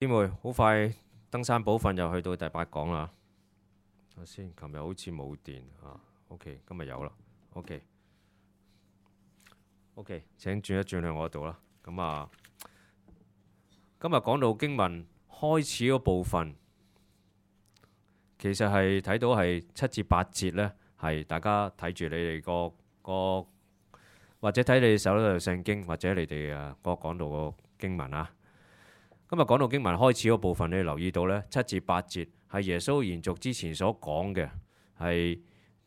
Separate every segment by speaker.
Speaker 1: 姊妹，好快登山寶訓又去到第8講啦。首先，琴日好似冇電啊。OK， 今日有啦。OK， 請轉一轉去我度啦。咁啊，今日講到經文開始嗰部分，其實係睇到係7至8節呢，係大家睇住你哋個或者睇你哋手度聖經，或者你哋個講到個經文啊。今日講到經文開始嗰部分，你留意到呢7至8節係耶穌延續之前所講嘅，係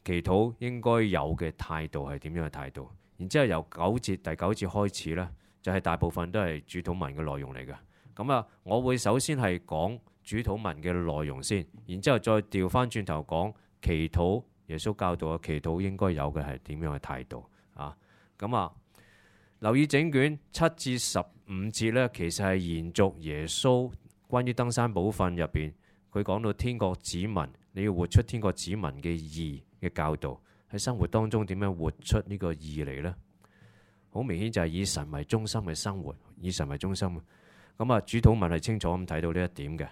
Speaker 1: 祈禱應該有嘅態度係點樣嘅態度。然之後由第9節開始呢，就係大部分都係主禱文嘅內容嚟嘅。咁啊，我會首先係講主禱文嘅內容先，然之後再調翻轉頭講祈禱。耶穌教導嘅祈禱應該有嘅係點樣嘅態度啊？咁啊，留意整卷7至15節呢，其實係延續耶穌關於登山寶訓入邊，佢講到天國子民，你要活出天國子民嘅義嘅教導，喺生活當中點樣活出呢個義嚟呢？好明顯就係以神為中心嘅生活，以神為中心。咁啊，主禱文係清楚咁睇到呢一點嘅。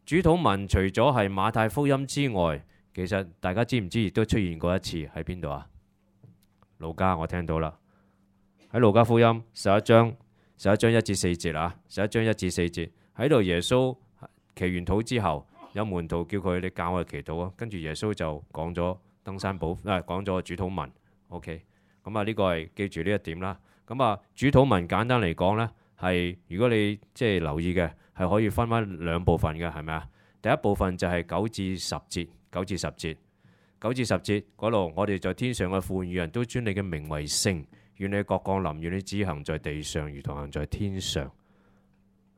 Speaker 1: 主禱文除咗係馬太福音之外，其實大家知唔知亦都出現過一次喺邊度啊？路加，我聽到啦，喺路加福音11章1至4節啊，11章1至4節喺度，耶穌祈完禱之後，有門徒叫佢，你教我祈禱啊，跟住耶穌就講咗登山寶講咗主禱文。OK， 咁啊呢個係記住呢一點啦。咁啊主禱文簡單嚟講呢，係如果你即係留意嘅，係可以分翻2部分嘅，係咪啊？第一部分就係9至10節，9至10節嗰度，我哋在天上嘅父與人都尊你嘅名為聖，願你國降臨，願你旨行在地上如同行在天上。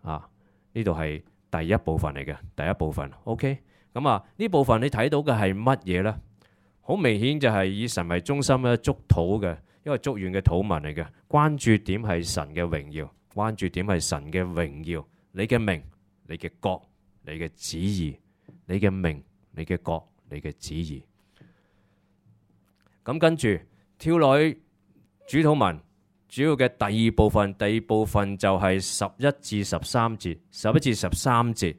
Speaker 1: 啊，呢度係第一部分嚟嘅，第一部分。OK， 咁啊呢部分你睇到嘅係乜嘢呢？好明顯就係以神為中心嘅祝禱嘅一個祝願嘅禱文嚟嘅，關注點係神嘅榮耀，關注點係神嘅榮耀，你嘅名，你嘅國，你嘅旨意，你嘅名，你嘅國，你嘅旨意。咁跟住跳落去主禱文主要嘅第二部分就係11至13節，11至13節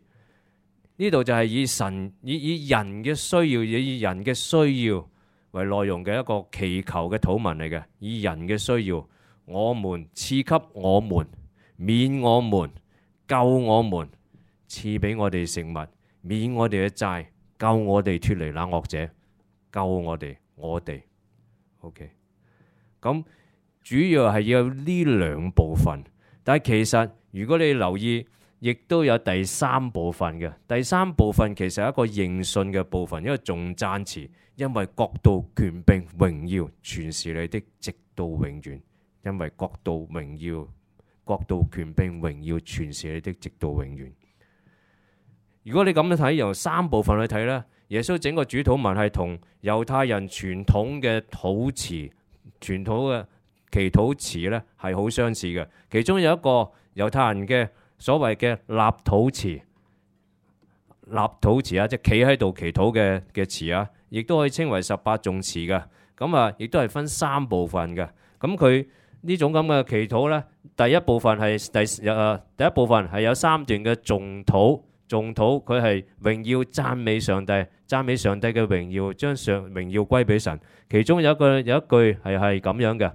Speaker 1: 呢度就係以人嘅需要，以人嘅需要為內容嘅一個祈求嘅禱文嚟嘅。以人嘅需要，我們賜給我們，免我們，救我們，賜俾我哋食物，免我哋嘅債，救我哋脫離那惡者，救我哋。OK， 咁主要係要有呢2部分，但係其實如果你留意，亦都有第3部分嘅。第3部分其實係一個認信嘅部分，一個頌讚詞，因為國度、權柄、榮耀全是你的，直到永遠。因為國度、榮耀、權柄、榮耀全是你的，直到永遠。如果你咁樣睇，由3部分去睇呢，耶穌整個主禱文係同猶太人傳統嘅禱詞、傳統嘅祈禱詞呢係好相似嘅。其中有一個猶太人嘅所謂嘅立禱詞啊，即係企喺度祈禱嘅詞啊，亦都可以稱為18頌詞嘅。咁啊，亦都係分3部分嘅。咁佢呢種咁嘅祈禱呢，第一部分係有3段嘅頌禱。頌禱佢係榮耀讚美上帝，讚美上帝嘅榮耀，將榮耀歸俾神。其中有一句係咁樣嘅：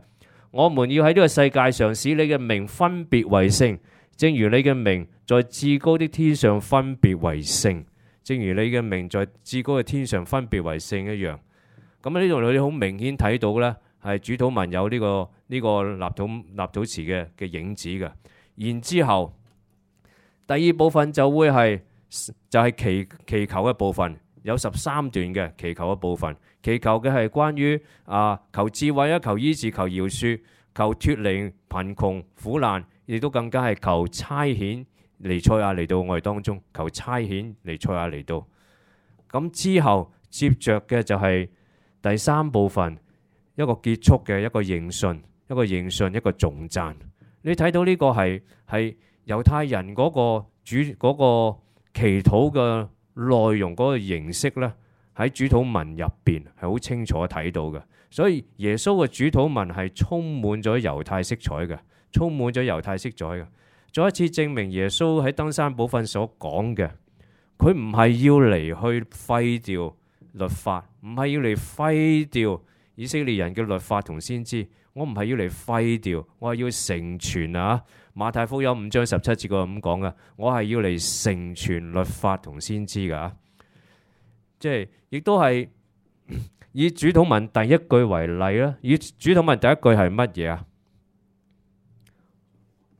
Speaker 1: 我們要喺呢個世界上使你嘅名分別為聖，正如你嘅名在至高的天上分別為聖，正如你嘅名在至高嘅天上分別為聖一樣。咁呢度你好明顯睇到呢，係主禱文有呢個立禱詞嘅影子嘅。然之後第2部分就係祈求嘅部分，有13段嘅祈求嘅部分。祈求嘅係關於求智慧啊，求醫治，求饒恕，求脫離貧窮苦難，亦都更加係求差遣彌賽亞嚟到我哋當中，求差遣彌賽亞嚟到。咁之後接着嘅就係第3部分，一個結束嘅一個認信，一個頌讚。你睇到呢個係猶太人嗰個祈禱嘅內容，嗰個形式呢，喺主禱文入邊係好清楚睇到嘅。所以耶穌嘅主禱文係充滿咗猶太色彩嘅，再一次證明耶穌喺登山寶訓所講嘅，佢唔係要嚟去廢掉律法，唔係要嚟廢掉以色列人嘅律法同先知。我唔係要嚟廢掉，我係要成全啊！馬太福音5章17節嗰度咁講噶，我係要嚟成全律法同先知噶。即係亦都係以主禱文第一句為例啦。以主禱文第一句係乜嘢啊？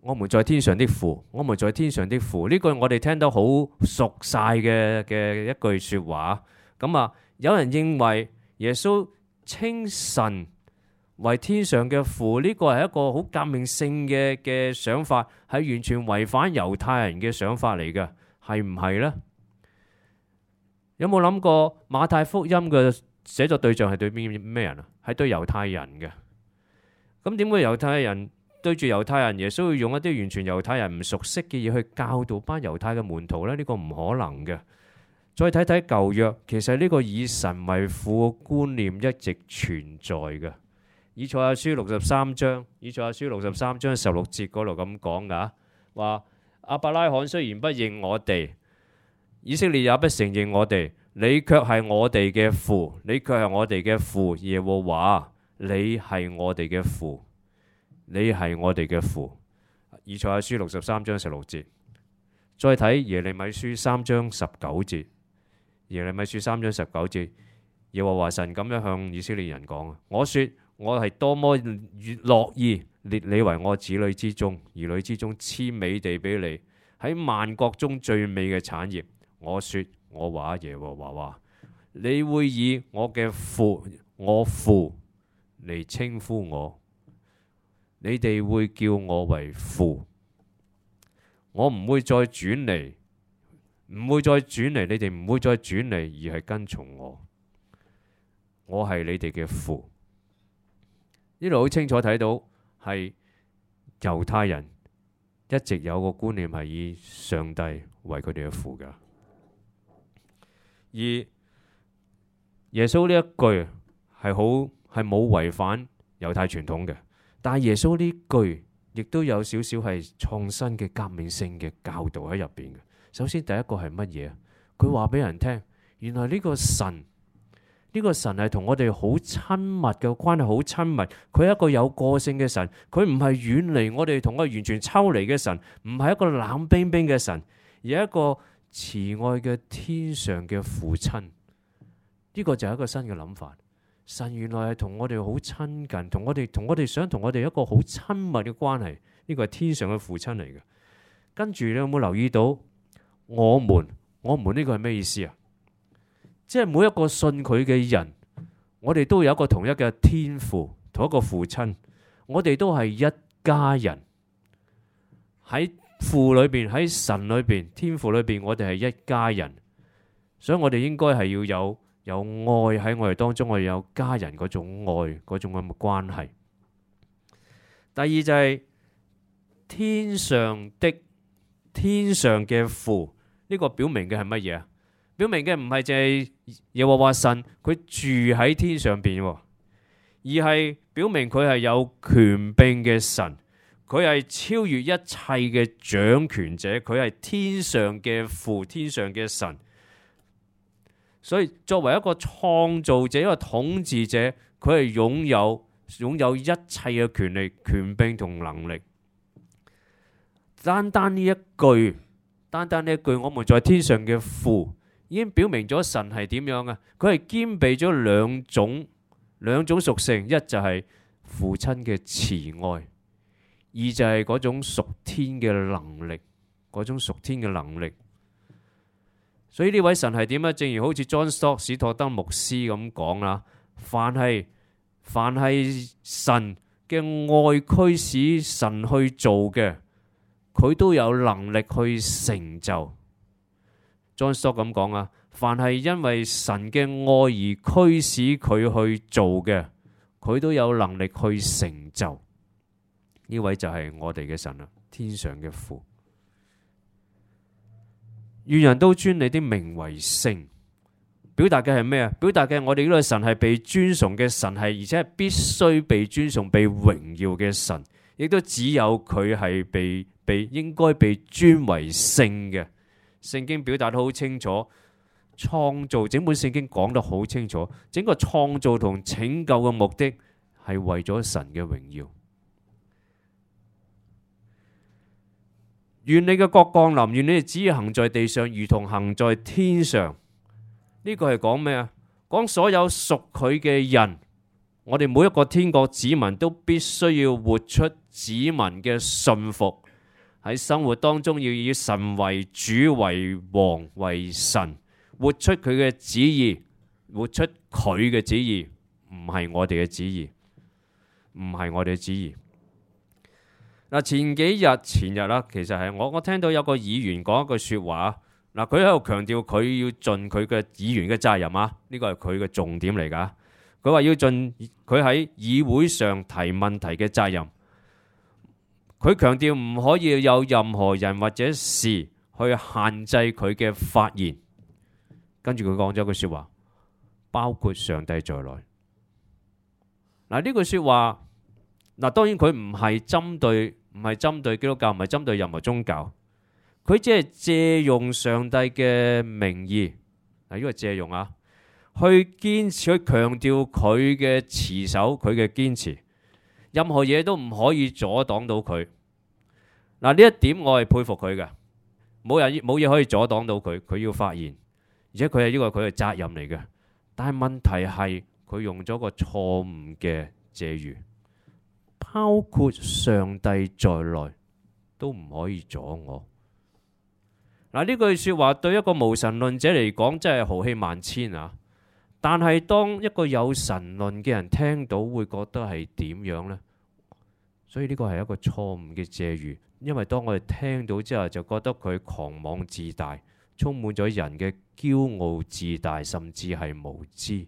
Speaker 1: 我們在天上的父，我們在天上的父。呢句我哋聽得好熟晒嘅一句說話。咁啊，有人認為耶穌稱神為天上嘅父，呢個係一個好革命性嘅想法，係完全違反猶太人嘅想法嚟嘅，係唔係呢？有冇諗過馬太福音嘅寫作對象係對咩人啊？係對猶太人嘅。咁點會猶太人對住猶太人，耶穌要用一啲完全猶太人唔熟悉嘅嘢去教導班猶太嘅門徒呢？呢個唔可能嘅。再睇睇舊約，其實呢個以神為父嘅觀念一直存在嘅。以賽亞書63章，以賽亞書63章16節嗰度咁講噶，話亞伯拉罕雖然不認我哋，以色列也不承認我哋，你卻係我哋嘅父，你卻係我哋嘅父，耶和華，你係我哋嘅父，你係我哋嘅父。以賽亞書63章16節，再睇耶利米書3章19節，耶利米書3章19節，耶和華神咁樣向以色列人講，我說我係多麼樂意列你為我子女之中、兒女之中賜美地俾你，喺萬國中最美嘅產業。我說我話耶和華話，你會以我嘅父，我父嚟稱呼我，你哋會叫我為父，我唔會再轉嚟，唔會再轉嚟，你哋唔會再轉嚟，而係跟從我，我係你哋嘅父。呢度好清楚睇到係猶太人一直有個觀念係以上帝為佢哋嘅父㗎，而耶穌呢一句係冇違反猶太傳統嘅，但係耶穌呢句亦都有少少係創新嘅革命性嘅教導喺入邊嘅。首先第一個係乜嘢？佢話俾人聽，原來呢個神係同我哋好親密嘅關係，好親密。佢係一個有個性嘅神，佢唔係遠離我哋，同我完全抽離嘅神，唔係一個冷冰冰嘅神，而係一個慈愛嘅天上嘅父親。呢個就係一個新嘅諗法。神原來係同我哋好親近，同我哋想同我哋一個好親密嘅關係。呢個係天上嘅父親嚟嘅。跟住你有冇留意到我們呢個係咩意思啊？即係每一個信佢嘅人，我哋都有一個同一嘅天父，同一個父親，我哋都係一家人。喺父裏邊，喺神裏邊，天父裏邊，我哋係一家人。所以我哋應該係要有愛喺我哋當中，我哋有家人嗰種愛，嗰種咁嘅關係。第二就係天上嘅父，呢個表明嘅係乜嘢啊？表明嘅唔係淨係耶和華神佢住喺天上邊，而係表明佢係有權柄嘅神，佢係超越一切嘅掌權者，佢係天上嘅父，天上嘅神。所以作為一個創造者，一個統治者，佢係擁有一切嘅權力、權柄同能力。單單呢一句，我們在天上嘅父，已經表明咗神係點樣啊？佢係兼備咗兩種屬性，一就係父親嘅慈愛，二就係嗰種屬天嘅能力，所以呢位神係點啊？正如好似 John Stott 史托德牧師咁講啦，凡係神嘅愛驅使神去做嘅，佢都有能力去成就。John Stott 咁講啊，凡係因為神嘅愛而驅使佢去做嘅，佢都有能力去成就。呢位就係我哋嘅神啦，天上嘅父。願人都尊你的名為聖，表達嘅係咩啊？表達嘅我哋呢個神係被尊崇嘅神，係而且係必須被尊崇、被榮耀嘅神，亦都只有佢係被應該被尊為聖嘅。聖經表達得好清楚，創造整本聖經講得好清楚，整個創造同拯救嘅目的係為咗神嘅榮耀。願你嘅國降臨，願你嘅旨意行在地上，如同行在天上。呢個係講咩啊？講所有屬佢嘅人，我哋每一個天國子民都必須要活出子民嘅信服，喺生活當中要以神為主、為王、為神，活出佢嘅旨意，活出佢嘅旨意，唔係我哋嘅旨意，唔係我哋嘅旨意。嗱，前日啦，其實係我聽到有個議員講一句說話，嗱，佢喺度強調佢要盡佢嘅議員嘅責任啊，呢個係佢嘅重點嚟噶。佢話要盡佢喺議會上提問題嘅責任。佢強調唔可以有任何人或者事去限制佢嘅發言。跟住佢講咗句說話，包括上帝在內。嗱，呢句說話，嗱，當然佢唔係針對基督教，唔係針對任何宗教，佢只係借用上帝嘅名義，嗱，呢個借用啊，去堅持，去強調佢嘅持守，佢嘅堅持，任何嘢都唔可以阻擋到佢。嗱，呢一點我係佩服佢嘅，冇嘢可以阻擋到佢，佢要發言，而且佢係呢個佢嘅責任嚟嘅。但係問題係佢用咗個錯誤嘅借喻，包括上帝在內都唔可以阻我。嗱，呢句說話對一個無神論者嚟講真係豪氣萬千啊！但係當一個有神論嘅人聽到，會覺得係點樣呢？所以呢個係一個錯誤嘅借喻，因為當我哋聽到之後，就覺得佢狂妄自大，充滿咗人嘅驕傲自大，甚至係無知。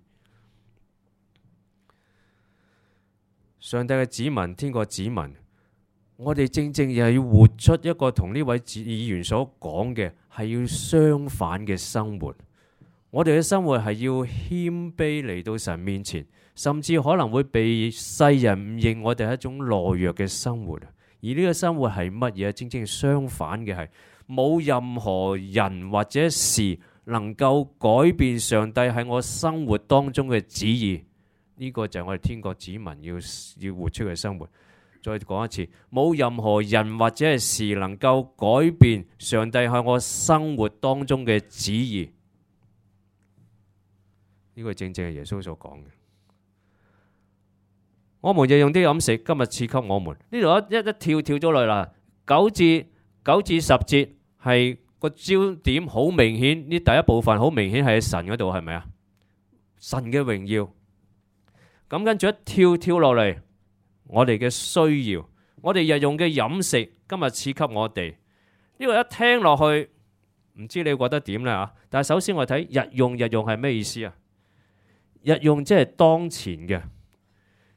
Speaker 1: 上帝嘅子民，天國子民，我哋正正又係要活出一個同呢位議員所講嘅係要相反嘅生活。我哋嘅生活係要謙卑嚟到神面前，甚至可能會被世人誤認我哋係一種懦弱嘅生活。而呢個生活係乜嘢？正正相反嘅係冇任何人或者事能夠改變上帝喺我生活當中嘅旨意。呢個就係我哋天國子民要活出嘅生活。再講一次，冇任何人或者係事能夠改變上帝喺我生活當中嘅旨意。呢個正正係耶穌所講嘅。我們日用的飲食，今日賜給我們。呢度一跳咗落嚟啦。9至10節係個焦點好明顯，呢第一部分好明顯係喺神嗰度，係咪啊？神嘅榮耀。咁跟住一跳落嚟，我哋嘅需要，我哋日用嘅飲食，今日賜給我哋。呢個一聽落去，唔知你覺得點咧啊？但係首先我睇日用係咩意思啊？日用即係當前嘅。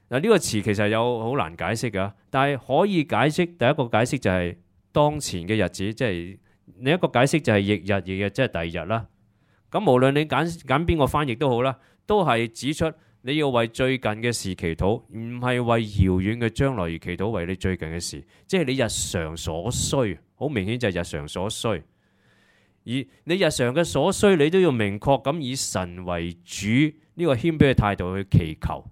Speaker 1: 嗱，呢個詞其實有好難解釋㗎，但係可以解釋。第一個解釋就係當前嘅日子，即係另一個解釋就係翌日，即係第二日啦。咁無論你揀邊個翻譯都好啦，都係指出你要為最近嘅事祈禱，唔係為遙遠嘅將來而祈禱，為你最近嘅事，即係你日常所需。好明顯就係日常所需，而你日常嘅所需，你都要明確咁以神為主呢個謙卑嘅態度去祈求。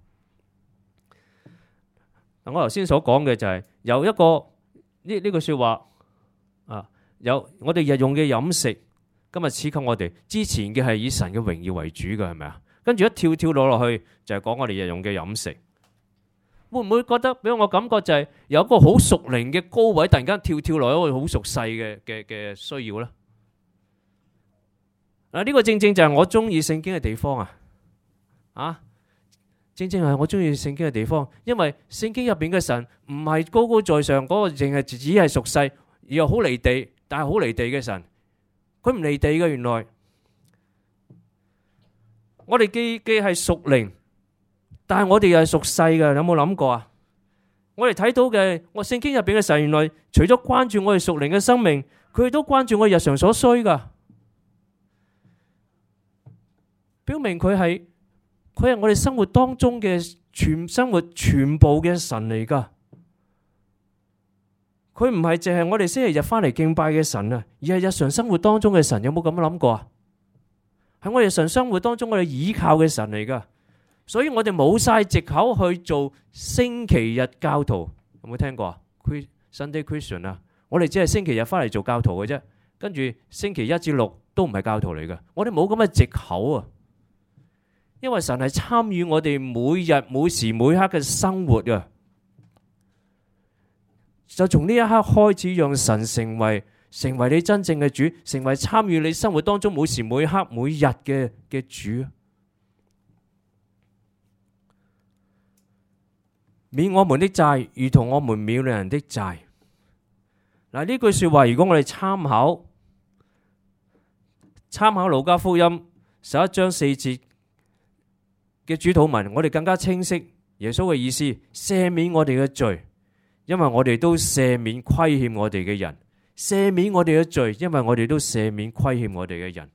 Speaker 1: 我頭先所講嘅就係有一個呢句說話啊，有我哋日用嘅飲食，今日賜給我哋。之前嘅係以神嘅榮耀為主嘅，係咪啊？跟住一跳落去就係講我哋日用嘅飲食，會唔會覺得俾我感覺就係有一個好屬靈嘅高位，突然間跳落一個好熟細嘅需要呢？嗱，呢個正正就係我中意聖經嘅地方啊！正正係我中意聖經嘅地方，因為聖經入邊嘅神唔係高高在上嗰個，淨係只係屬世，而又好離地，但係好離地嘅神，佢唔離地嘅。原來我哋既係屬靈，但係我哋又係屬世嘅。有冇諗過啊？我哋睇到嘅，我聖經入邊嘅神，原來除咗關注我哋屬靈嘅生命，佢都關注我哋日常所需噶，表明佢係我哋生活當中嘅生活全部嘅神嚟噶。佢唔係淨係我哋星期日翻嚟敬拜嘅神啊，而係日常生活當中嘅神。有冇咁樣諗過啊？喺我哋日常生活當中，我哋倚靠嘅神嚟噶。所以我哋冇晒藉口去做星期日教徒。有冇聽過啊？Sunday Christian 啊，我哋只係星期日翻嚟做教徒嘅啫，跟住星期一至六都唔係教徒嚟嘅。我哋冇咁嘅藉口啊，因為神係參與我哋每日每時每刻嘅生活啊。就從呢一刻開始，讓神成為你真正嘅主，成為參與你生活當中每時每刻每日嘅主。免我們的債，如同我們免了人的債。嗱，呢句說話，如果我哋參考路加福音11章4節嘅主禱文，我哋更加清晰耶穌嘅意思，赦免我哋嘅罪，因為我哋都赦免虧欠我哋嘅人；赦免我哋嘅罪，因為我哋都赦免虧欠我哋嘅人。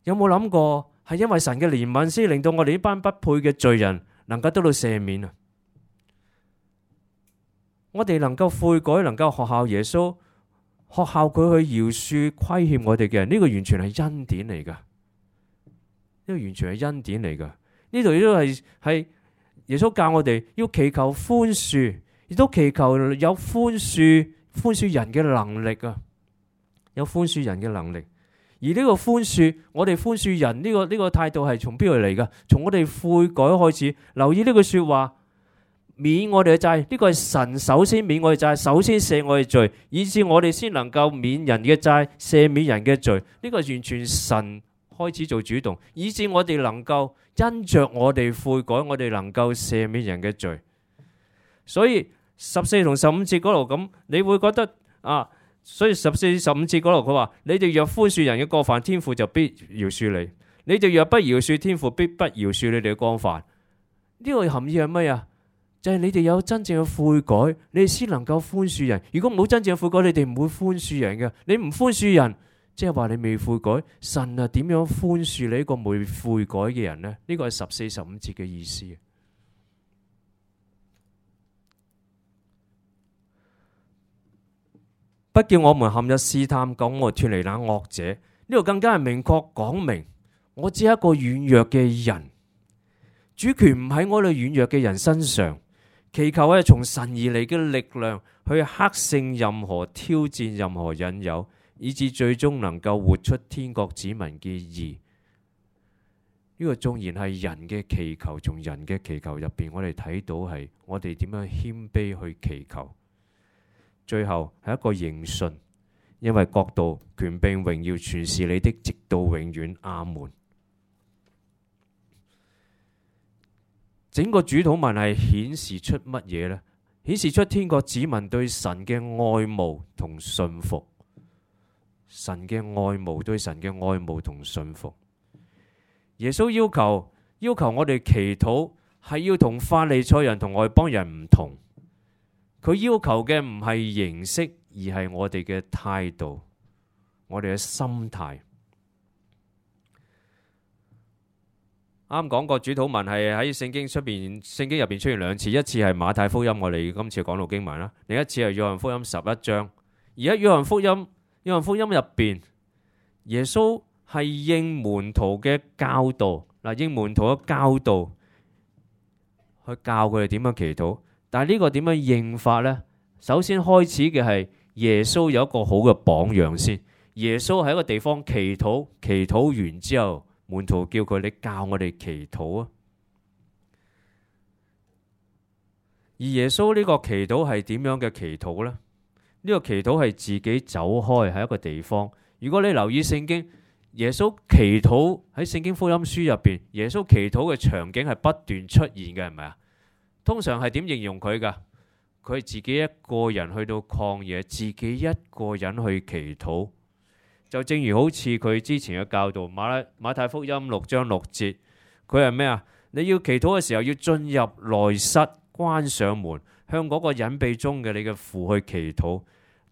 Speaker 1: 有冇諗過係因為神嘅憐憫先令到我哋呢班不配嘅罪人能夠得到赦免啊？我哋能夠悔改，能夠學效耶穌，學效佢去饒恕虧欠我哋嘅人，呢個完全係恩典嚟噶。呢個完全係恩典嚟噶。呢度亦都係耶穌教我哋要祈求寬恕，亦都祈求有寬恕人嘅能力啊！有寬恕人嘅能力。而呢個寬恕，我哋寬恕人呢個態度係從邊度嚟噶？從我哋悔改開始。留意呢句說話，免我哋嘅債，呢個係神首先免我哋債，首先赦我哋罪，以致我哋先能夠免人嘅債，赦免人嘅罪。呢個完全神開始做主動，以致我哋能夠因着我哋悔改，我哋能夠赦免人嘅罪。所以14同15節嗰度咁，你會覺得啊？所以14、15節嗰度佢話：你哋若寬恕人嘅過犯，天父就必饒恕你；你哋若不饒恕，天父必不饒恕你哋嘅過犯。呢個含義係乜啊？就係你哋有真正嘅悔改，你哋先能夠寬恕人。如果冇真正嘅悔改，你哋唔會寬恕人嘅。你唔寬恕人，即係話你未悔改。神啊，點樣寬恕你呢個未悔改嘅人呢？呢個係14、15節嘅意思。不叫我們陷入試探，救我脫離那惡者。呢度更加係明確講明，我只係一個軟弱嘅人，主權唔喺我哋軟弱嘅人身上。祈求係從神而嚟嘅力量去克勝任何挑戰、任何引誘，以致最終能夠活出天國子民嘅義。呢個縱然係人嘅祈求，從人嘅祈求入邊，我哋睇到係我哋點樣謙卑去祈求。最後係一個認信，因為國度、權柄、榮耀全是你的，直到永遠。阿門。整個主禱文係顯示出乜嘢呢？顯示出天國子民對神嘅愛慕同信服。神嘅愛慕，對神嘅愛慕同信服。耶穌要求我哋祈禱係要同法利賽人同外邦人唔同。佢要求嘅唔係形式，而係我哋嘅態度，我哋嘅心態。啱講過主禱文係喺聖經入邊出現兩次，一次係馬太福音，我哋今次講到經文啦；另一次係約翰福音11章。而喺約翰福音入邊，耶穌係應門徒嘅教導，應門徒嘅教導去教佢哋點樣祈禱。但係呢個點樣應法呢？首先開始嘅係耶穌有一個好嘅榜樣先。耶穌喺一個地方祈禱，祈禱完之後，門徒叫佢：你教我哋祈禱啊！而耶穌呢個祈禱係點樣嘅祈禱呢？呢個祈禱係自己走開喺一個地方。如果你留意聖經，耶穌祈禱喺聖經福音書入邊，耶穌祈禱嘅場景係不斷出現嘅，係咪啊？通常係點形容佢噶？佢係自己一個人去到曠野，自己一個人去祈禱。就正如好似佢之前嘅教導，馬太福音6章6節，佢係咩啊？你要祈禱嘅時候，要進入內室，關上門，向嗰個隱秘中嘅你嘅父去祈禱。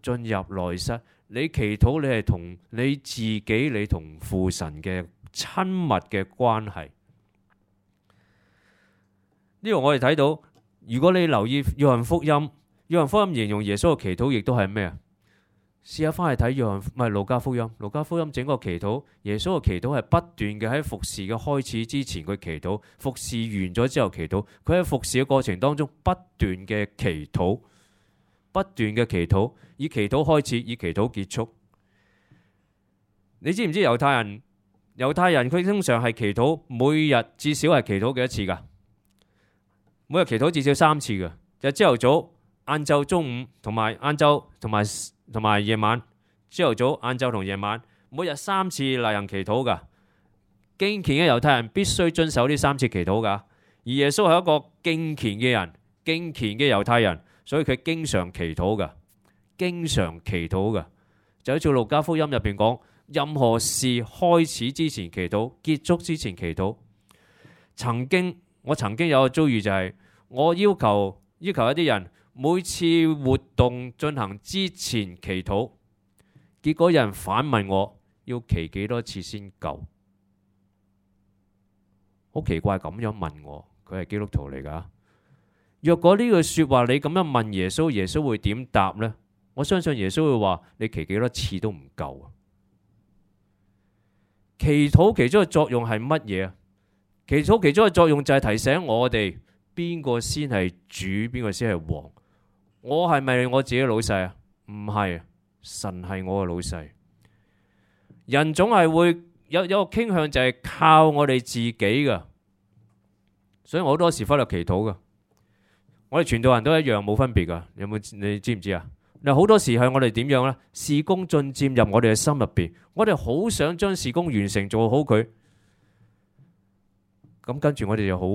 Speaker 1: 進入內室，你祈禱，你係同你自己，你同父神嘅親密嘅關係。呢度我哋睇到，如果你留意約翰福音約翰福音形容耶穌嘅祈禱亦都係咩啊？試下翻去睇路加福音，路加福音整個祈禱，耶穌嘅祈禱係不斷嘅喺服侍嘅開始之前佢祈禱，服侍完咗之後祈禱，佢喺服侍嘅過程當中不斷嘅祈禱，不斷嘅祈禱，以祈禱開始，以祈禱結束。你知唔知猶太人佢通常係祈禱，每日至少係祈禱幾多次噶？每日祈禱至少3次嘅，就朝頭早、晏晝、中午同埋晏晝同埋夜晚。朝頭早、晏晝同夜晚，每日3次例行祈禱噶。敬虔嘅猶太人必須遵守呢3次祈禱噶。而耶穌係一個敬虔嘅人，敬虔嘅猶太人，所以佢經常祈禱噶，經常祈禱噶。就好似路加福音入邊講，任何事開始之前祈禱，結束之前祈禱。我曾經有個遭遇，就係我要求一啲人每次活動進行之前祈禱，結果有人反問我要祈幾多次先夠？好奇怪咁樣問我，佢係基督徒嚟噶。若果呢句說話你咁樣問耶穌，耶穌會點答呢？我相信耶穌會話你祈幾多次都唔夠啊！祈禱其中嘅作用係乜嘢啊？祈禱其中嘅作用就係提醒我哋邊個先係主，邊個先係王。我係咪我自己老細啊？唔係，神係我嘅老細。人總係會有個傾向，就係靠我哋自己噶，所以我好多時忽略祈禱噶。我哋傳道人都一樣，冇分別噶。你知唔知啊？嗱，好多時係我哋點樣呢？事工進佔入我哋嘅心入邊，我哋好想將事工完成做好佢。咁跟住我哋就好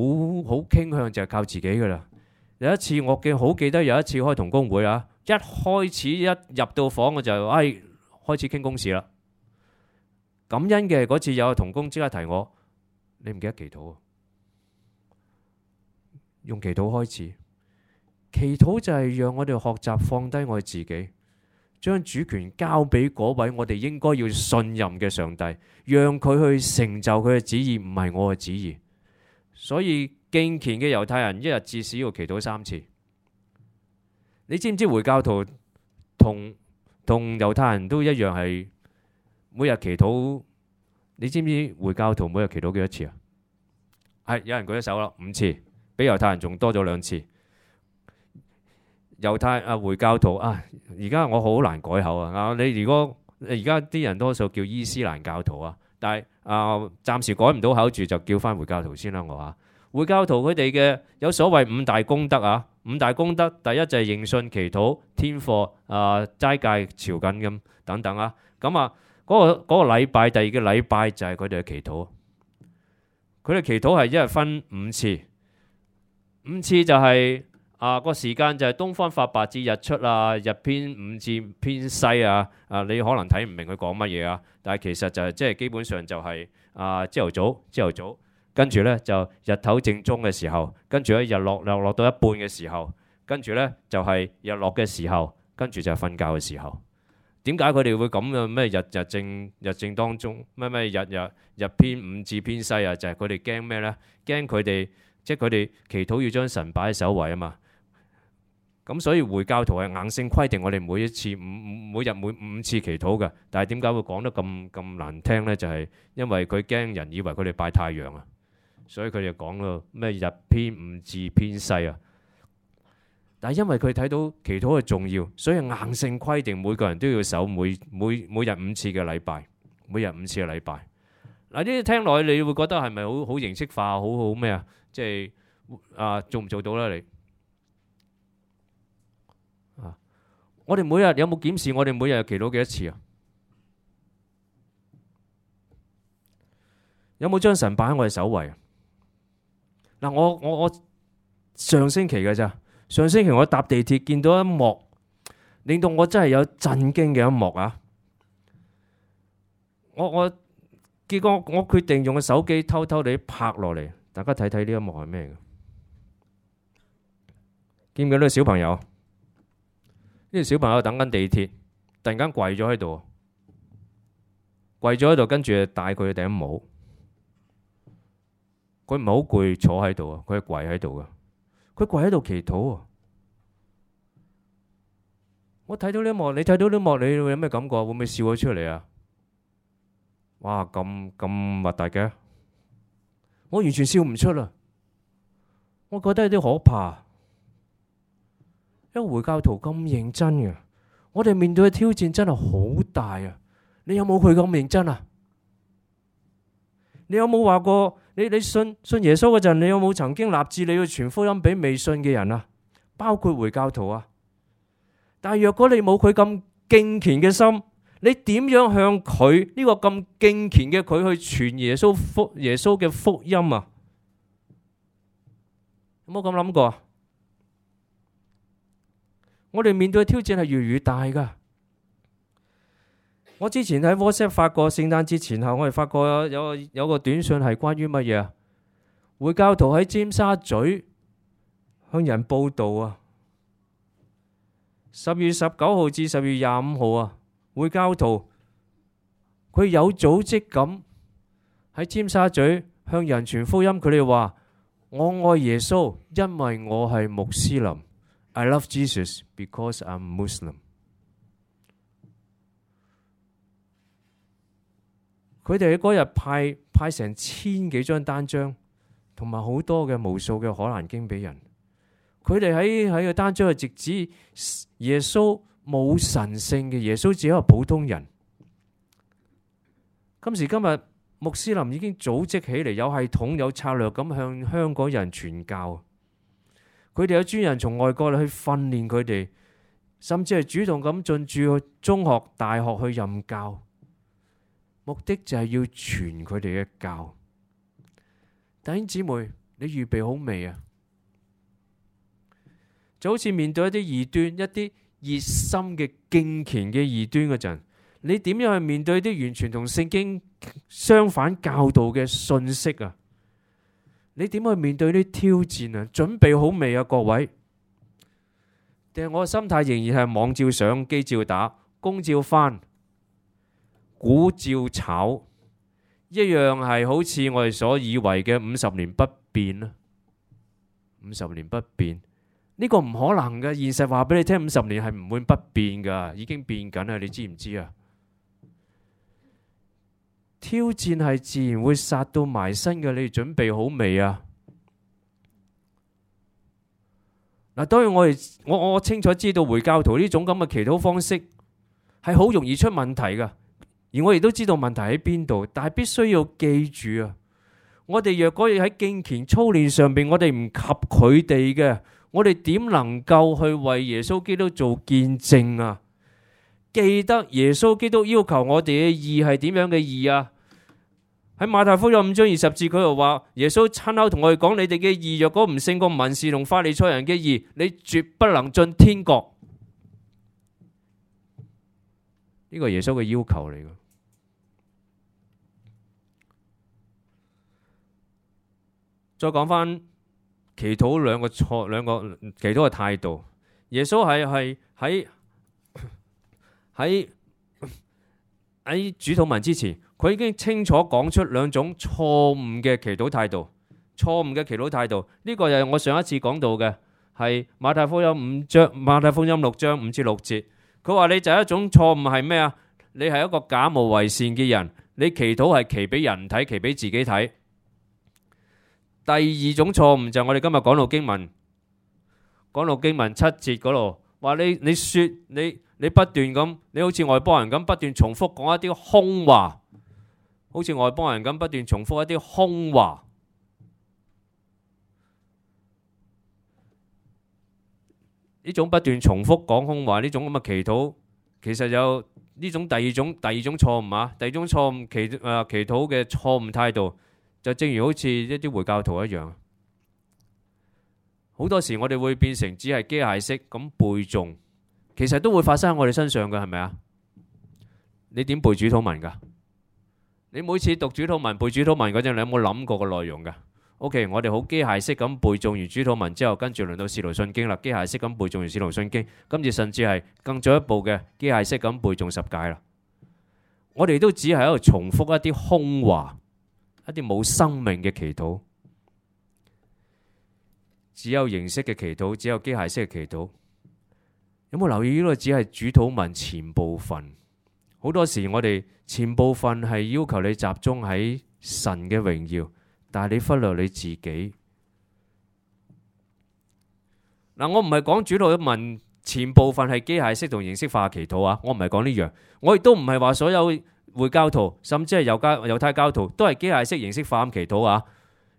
Speaker 1: 傾向就係靠自己噶啦。有一次我好記得有一次開同工會啊，一開始一入到房我就開始傾公事啦。感恩嘅嗰次有個同工即刻提我，你唔記得祈禱啊？用祈禱開始，祈禱就係讓我哋學習放低我哋自己，將主權交俾嗰位我哋應該要信任嘅上帝，讓佢去成就佢嘅旨意，唔係我嘅旨意。所以敬虔嘅猶太人一日至少要祈禱3次。你知唔知回教徒同猶太人都一樣係每日祈禱？你知唔知回教徒每日祈禱幾多次啊？係有人舉咗手啦，5次，比猶太人仲多咗2次。回教徒而家我好難改口啊！你如果而家啲人多數叫伊斯蘭教徒啊，但係暫時改唔到口住，就叫翻回教徒先啦。我話回教徒佢哋嘅有所謂5大功德啊，5大功德，第一就係認信、祈禱、天課、齋戒、朝覲咁等等啊。咁嗰個禮拜，第二個禮拜就係佢哋嘅祈禱。佢哋祈禱係一日分5次，5次就係個時間就係東方發白至日出啊，日偏5至偏西啊。你可能睇唔明佢講乜嘢啊，但係其實就係即係基本上就係朝頭早，跟住呢就日頭正中嘅時候，跟住咧日落到一半嘅時候，跟住呢就係日落嘅時候，跟住就係瞓覺嘅時候。點解佢哋會咁嘅？咩日正當中，咩日偏5至偏西啊？就係佢哋驚咩呢？驚佢哋即係佢哋祈禱要將神擺喺首位啊嘛。咁所以回教徒係硬性規定我哋每日每5次祈禱嘅。但係點解會講得咁難聽呢？就係因為佢驚人以為佢哋拜太陽啊，所以佢哋講到咩日偏5至偏西啊。但係因為佢睇到祈禱嘅重要，所以硬性規定每個人都要守每日5次嘅禮拜，每日5次嘅禮拜。嗱，呢啲聽落去你會覺得係咪好形式化，好咩啊？即係做唔做到咧？你我哋每日有冇檢視我哋每日祈禱幾多次啊？有冇將神擺喺我哋首位啊？嗱，我上星期嘅咋？上星期我搭地鐵見到一幕，令到我真係有震驚嘅一幕啊！結果我決定用個手機偷偷地拍落嚟，大家睇睇呢一幕係咩嘅？見唔見到呢個小朋友？呢個小朋友等緊地鐵，突然間跪咗喺度，跟住戴佢嘅頂帽。佢唔係好攰坐喺度啊，佢係跪喺度噶。佢跪喺度祈禱啊！我睇到呢一幕，你睇到呢一幕，你會有咩感覺？會唔會笑咗出嚟啊？哇，咁核突嘅，我完全笑唔出啦。我覺得有啲可怕，因為回教徒咁認真嘅，我哋面對嘅挑戰真係好大啊！你有冇佢咁認真啊？你有冇話過你信耶穌嗰陣，你有冇曾經立志你要傳福音俾未信嘅人啊？包括回教徒啊！但係若果你冇佢咁敬虔嘅心，你點樣向佢呢個咁敬虔嘅佢去傳耶穌嘅福音啊？有冇咁諗過啊？我哋面對嘅挑戰係越嚟越大噶。我之前喺 WhatsApp 發過，聖誕節前後我哋發過有個短信係關於乜嘢啊？回教徒喺尖沙咀向人報道啊，10月19號至10月25號啊，回教徒佢有組織咁喺尖沙咀向人傳福音。佢哋話：我愛耶穌，因為我係穆斯林。I love Jesus because I'm Muslim。佢哋喺嗰日派成1000幾張單張，同埋好多嘅無數嘅可蘭經俾人。佢哋喺個單張係直指耶穌冇神性嘅，耶穌只係一個普通人。今時今日，穆斯林已經組織起嚟，有系統、有策略咁向香港人傳教。佢哋有專人從外國去訓練佢哋，甚至係主動咁進駐去中學、大學去任教。目的就係要傳佢哋嘅教。弟兄姊妹，你預備好未啊？就好似面對一啲異端、一啲熱心嘅敬虔嘅異端嗰陣，你點樣去面對啲完全同聖經相反教導嘅信息啊？你點去面對啲挑戰啊？準備好未啊，各位？定係我嘅心態仍然係網照上，機照打，工照翻，股照炒，一樣係好似我哋所以為嘅50年不變啊！50年不變呢個唔可能嘅，現實話俾你聽，50年係唔會不變噶，已經變緊啦，你知唔知啊？挑戰係自然會殺到埋身嘅，你哋準備好未啊？嗱，當然我清楚知道回教徒呢種咁嘅祈禱方式係好容易出問題噶。而我亦都知道問題喺邊度，但係必須要記住啊！我哋若果要喺敬虔操練上邊，我哋唔及佢哋嘅，我哋點能夠去為耶穌基督做見證啊？記得耶穌基督要求我哋嘅義係點樣嘅義啊？喺馬太福音5章20節，佢又話耶穌親口同我哋講：你哋嘅義若果唔勝過文士同法利賽人嘅義，你絕不能進天國。呢個係耶穌嘅要求嚟嘅。再講翻祈禱兩個祈禱嘅態度。耶穌係喺主禱文之前，佢已經清楚講出2種錯誤嘅祈禱態度。錯誤嘅祈禱態度，呢個又係我上一次講到嘅，係馬太福音6章5至6節。佢話你就係一種錯誤係咩啊？你係一個假冒為善嘅人，你祈禱係祈俾人睇，祈俾自己睇。第二種錯誤就係我哋今日講到經文7節嗰度，話你不斷咁，你好似外邦人咁不斷重複講一啲空話，好似外邦人咁不斷重複一啲空話。呢種不斷重複講空話，呢種咁嘅祈禱，其實有呢種第二種錯誤啊！第二種錯誤祈禱嘅錯誤態度。就正如好似一啲回教徒一樣，好多時我哋會變成只係機械式咁背誦，其實都會發生喺我哋身上嘅，係咪啊？你點背主禱文噶？你每次讀主禱文背主禱文嗰陣，你有冇諗過個內容噶？OK， 我哋好機械式咁背誦完主禱文之後，跟住輪到使徒信經啦，機械式咁背誦完使徒信經，跟住甚至係更進一步嘅機械式咁背誦10誡啦。我哋都只係喺度重複一啲空話。一啲冇生命嘅祈禱，只有形式嘅祈禱，只有機械式嘅祈禱。有冇留意呢個只係主禱文前部分？好多時我哋前部分係要求你集中喺神嘅榮耀，但係你忽略你自己。嗱，我唔係講主禱文前部分係機械式同形式化祈禱啊，我唔係講呢樣。我亦都唔係話所有回教徒甚至係猶太教徒都係機械式形式化咁祈禱啊。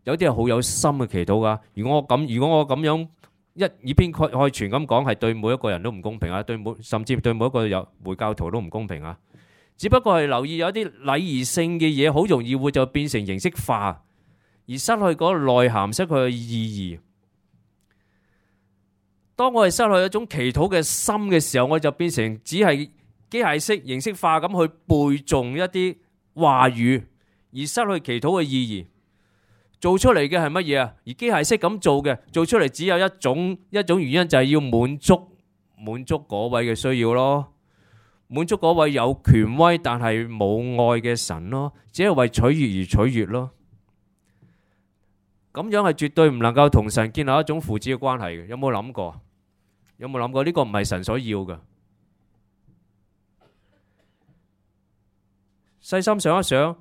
Speaker 1: 有啲係好有心嘅祈禱噶。如果我咁樣以偏概全咁講，係對每一個人都唔公平啊，甚至對每一個回教徒都唔公平啊。只不過係留意有啲禮儀性嘅嘢，好容易會就變成形式化，而失去嗰個內涵，失去嘅意義。當我哋失去一種祈禱嘅心嘅時候，我就變成只係機械式、形式化咁去背誦一啲話語，而失去祈禱嘅意義。做出嚟嘅係乜嘢啊？而機械式咁做出嚟只有一種原因，就係要滿足嗰位嘅需要咯，滿足嗰位有權威但係冇愛嘅神咯，只係為取悅而取悅咯。咁樣係絕對唔能夠同神建立一種父子嘅關係嘅。有冇諗過？呢個唔係神所要嘅。細心想一想，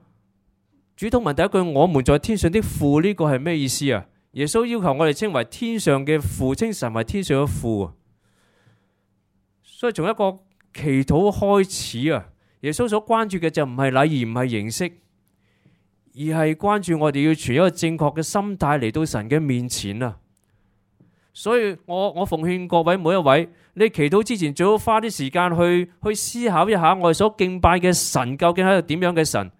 Speaker 1: 主禱文第一句我們在天上的父，呢個係咩意思啊？耶穌要求我哋稱為天上嘅父，稱神為天上嘅父。所以從一個祈禱開始啊，耶穌所關注嘅就唔係禮儀，唔係形式，而係關注我哋要存一個正確嘅心態嚟到神嘅面前啊。所以我奉勸各位每一位，你祈禱之前最好花啲時間去思考一下，我哋所敬拜嘅神究竟係一個點樣嘅神。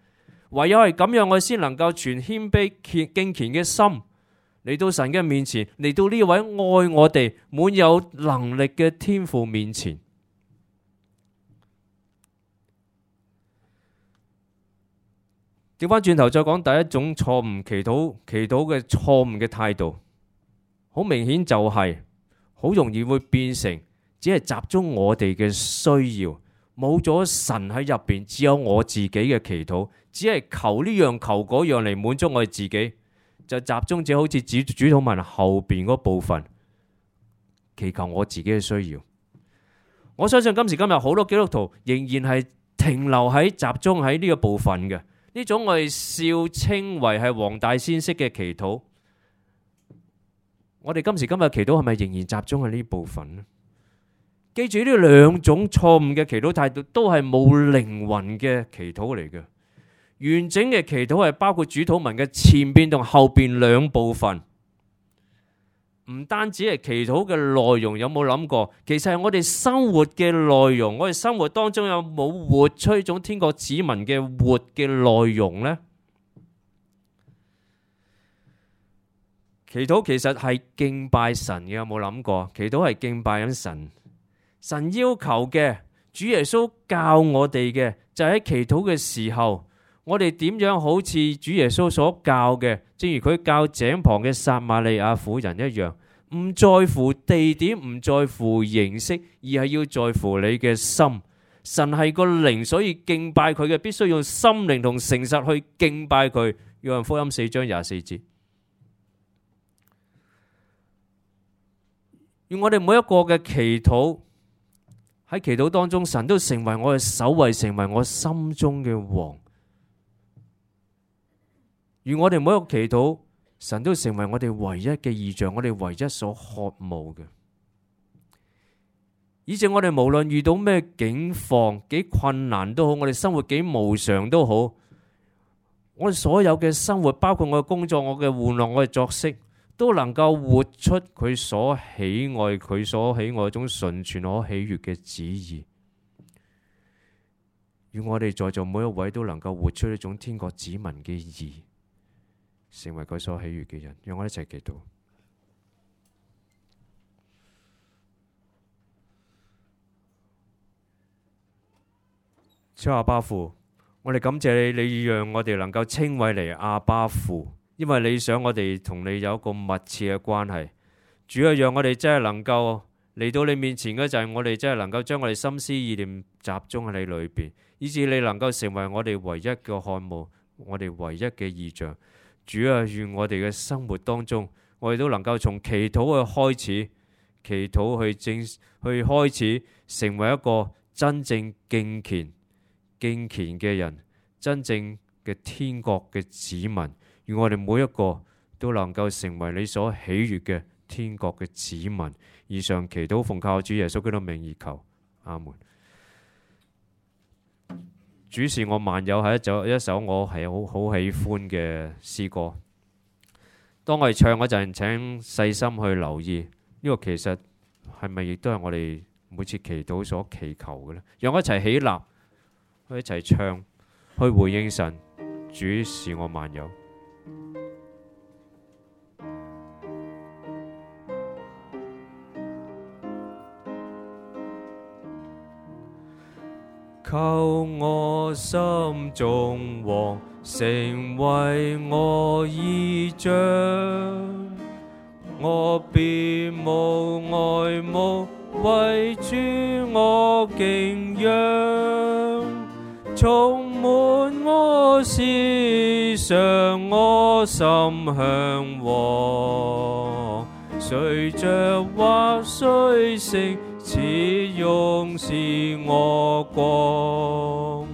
Speaker 1: 唯有係咁樣，我哋先能夠存謙卑敬虔嘅心嚟到神嘅面前，嚟到呢位愛我哋滿有能力嘅天父面前。調翻轉頭再講第一種錯誤祈禱嘅錯誤嘅態度，好明顯就係好容易會變成只係集中我哋嘅需要，冇咗神喺入邊，只有我自己嘅祈禱，只係求呢樣求嗰樣嚟滿足我哋自己，就集中只好似主禱文後邊嗰部分祈求我自己嘅需要。我相信今時今日好多基督徒仍然係停留喺集中喺呢個部分嘅，呢種我哋笑稱為係黃大仙式嘅祈禱。我哋今時今日祈禱係咪仍然集中喺呢部分呢？記住呢兩種錯誤嘅祈禱態度都係冇靈魂嘅祈禱嚟嘅。完整嘅祈禱係包括主禱文嘅前邊同後邊兩部分，唔單止係祈禱嘅內容。有冇諗過，其實係我哋生活嘅內容，我哋生活當中有冇活出一種天國子民嘅活嘅內容呢？祈禱其實係敬拜神嘅，有冇諗過？祈禱係敬拜緊神，神要求嘅，主耶穌教我哋嘅，就係喺祈禱嘅時候，我哋點樣好似主耶穌所教嘅，正如佢教井旁嘅撒瑪利亞婦人一樣，唔在乎地點，唔在乎形式，而係要在乎你嘅心。神係個靈，所以敬拜佢嘅必須用心靈同誠實去敬拜佢。約翰福音4章24節。願我哋每一個嘅祈禱，喺祈禱當中，神都成為我嘅首位，成為我心中嘅王。願我哋每一個祈禱，神都成為我哋唯一嘅異象，我哋唯一所渴慕嘅。以至我哋無論遇到咩境況，幾困難都好，我哋生活幾無常都好，我哋所有嘅生活，包括我嘅工作、我嘅玩樂、我嘅作息，都能夠活出佢所喜愛、佢所喜愛嗰種純全可喜悅嘅旨意。願我哋在座每一位都能夠活出一種天國子民嘅義，成為佢所喜悅嘅人。讓我哋一齊祈禱。主阿爸父，我哋感謝你，你讓我哋能夠稱為嚟阿爸父。因為你想我哋同你有一個密切嘅關係，主要讓我哋真係能夠嚟到你面前嘅就係我哋真係能夠將我哋心思意念集中喺你裏邊，以致你能夠成為我哋唯一嘅渴慕，我哋唯一嘅異象。主啊，願我哋嘅生活當中，我哋都能夠從祈禱去開始，祈禱去開始成為一個真正敬虔嘅人，真正嘅天國嘅子民，願我哋每一個都能夠成為你所喜悅嘅天國嘅子民。以上祈禱奉靠主耶穌基督名而求，阿門。主是我萬有係一首我係好喜歡嘅詩歌。當我哋唱嗰陣，請細心去留意呢個其實係咪亦都係我哋每次祈禱所祈求嘅呢？讓我一齊起立，去一齊唱，去回應神。主是我萬有。求我心中王成為我依仗，我別無愛慕，為主我敬仰，充滿我思想，我心向往，隨着或隨性，始終是我光，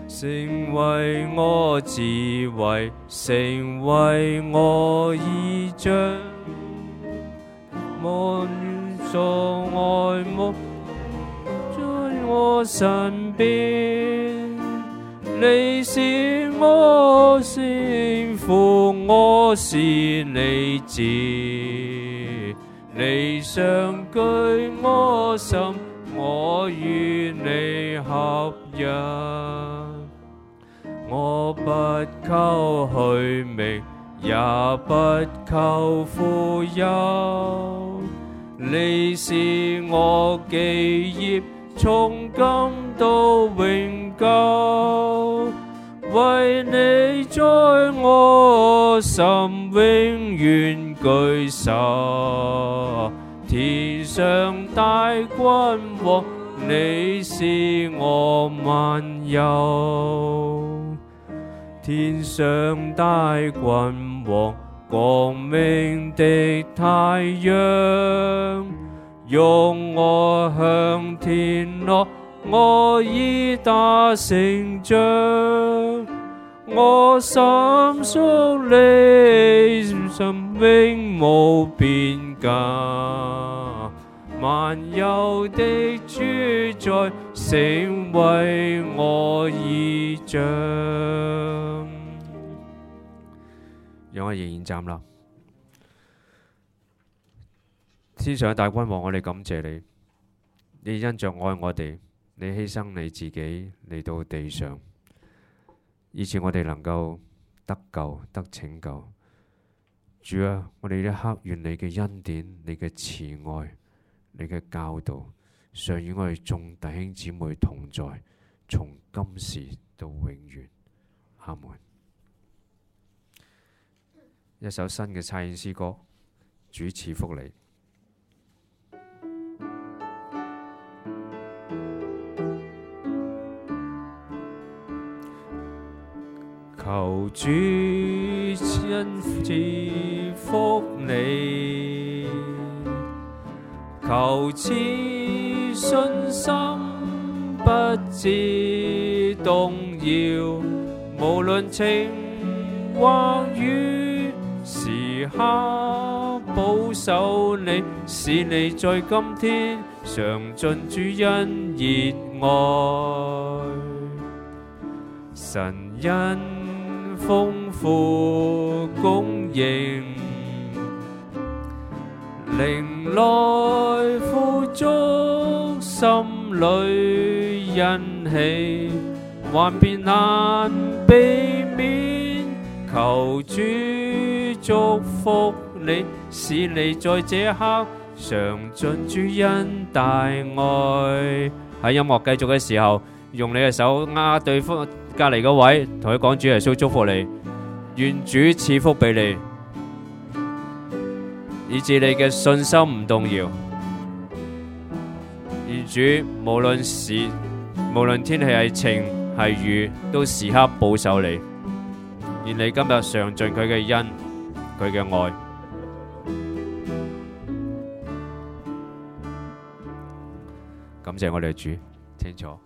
Speaker 1: 成為我智慧，成為我依仗，望所愛慕在我身邊，你是我幸福，我是你子，你常居我心，我與你合一。我不求虛名，也不求富有，你是我基業，從今到永久。為你在我心永遠居首，天上大君王，你是我萬有。天上大君王，光明的太陽，用我向天落，我已達成仗，我心屬你，心永無邊界，萬有的主宰，成為我依仗。讓我仍然站立。天上嘅大君王，我哋感謝你，你因着愛我哋，你犧牲你自己嚟到地上，以致我哋能夠得救得拯救。主啊，我哋一刻願你嘅恩典、你嘅慈愛、你嘅教導，常與我哋眾弟兄姊妹同在，從今時到永遠。阿門。一首新嘅差遣詩歌，主賜福你。求主賜福你，求賜信心不致動搖，無論晴或雨，時刻保守你，使你在今天嘗盡主恩熱愛。神恩豐富供應，靈來富足，心裏欣喜，幻變難避免。求主祝福你，使你在這刻嘗盡主恩大愛。喺音樂繼續嘅時候，用你嘅手握對方隔籬嗰位，同佢講主耶穌祝福你，願主賜福俾你，以致你嘅信心唔動搖。願主無論天氣係晴係雨，都時刻保守你。願你今日嘗盡佢嘅恩，佢嘅愛。謝我哋嘅主，清楚。